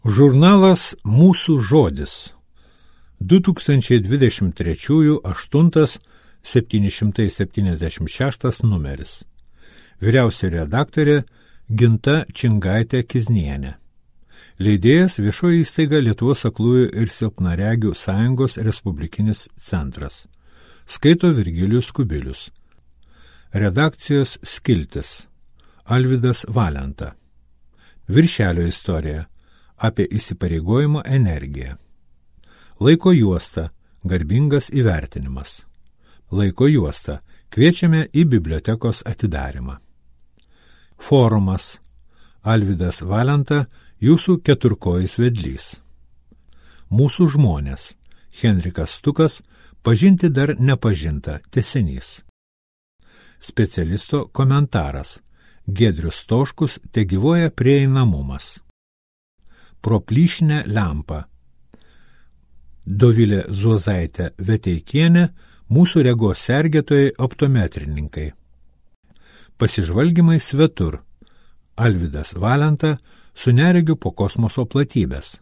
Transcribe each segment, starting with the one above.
Žurnalas Mūsų žodis 2023 8-776 numeris. Vyriausia redaktorė Ginta Čingaitė Kiznienė. Leidėjas viešoji įstaiga Lietuvos aklųjų ir silpnaregių sąjungos Respublikinis centras. Skaito Virgilijus Kubilius. Redakcijos skiltis Alvydas Valenta. Viršelio istorija apie įsipareigojimo energiją. Laiko juosta – garbingas įvertinimas. Laiko juosta – kviečiame į bibliotekos atidarymą. Forumas – Alvydas Valenta, jūsų keturkojis vedlys. Mūsų žmonės – Henrikas Stukas, pažinti dar nepažinta, tęsinys. Specialisto komentaras – Giedrius Stoškus, tegyvuoja prieinamumas. Pro plyšinę lempą. Dovilė Zuozaitė Veteikienė, mūsų regos sergėtojai optometrininkai. Pasižvalgymai svetur. Alvydas Valenta, su neregiu po kosmoso platybės.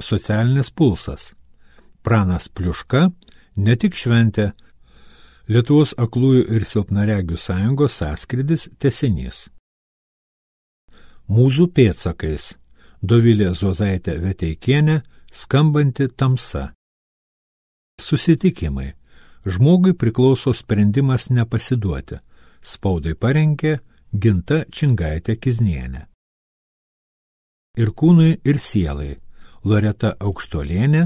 Socialinis pulsas. Pranas Pliuška, ne tik šventė, Lietuvos aklųjų ir silpnaregių sąjungos sąskrydis tęsinys. Mūzų pėdsakais. Dovilė Zuozaitė Veteikienė, skambanti tamsa. Susitikimai. Žmogui priklauso sprendimas nepasiduoti. Spaudai parengė Ginta Čingaitė Kiznienė. Ir kūnui, ir sielai. Loreta Aukštolienė,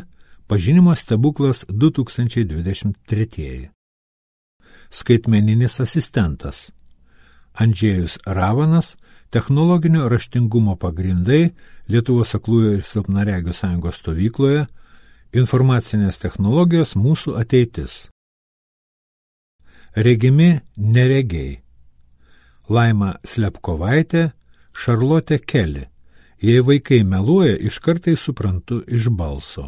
pažinimo stebuklas 2023. Skaitmeninis asistentas. Andžėjus Ravanas, technologinio raštingumo pagrindai Lietuvos aklųjų ir silpnaregių sąjungos stovykloje, informacinės technologijos mūsų ateitis. Regimi neregiai. Laima Slepkovaitė, Šarlotė Keli. Jei vaikai meluoja, iš kartai suprantu iš balso.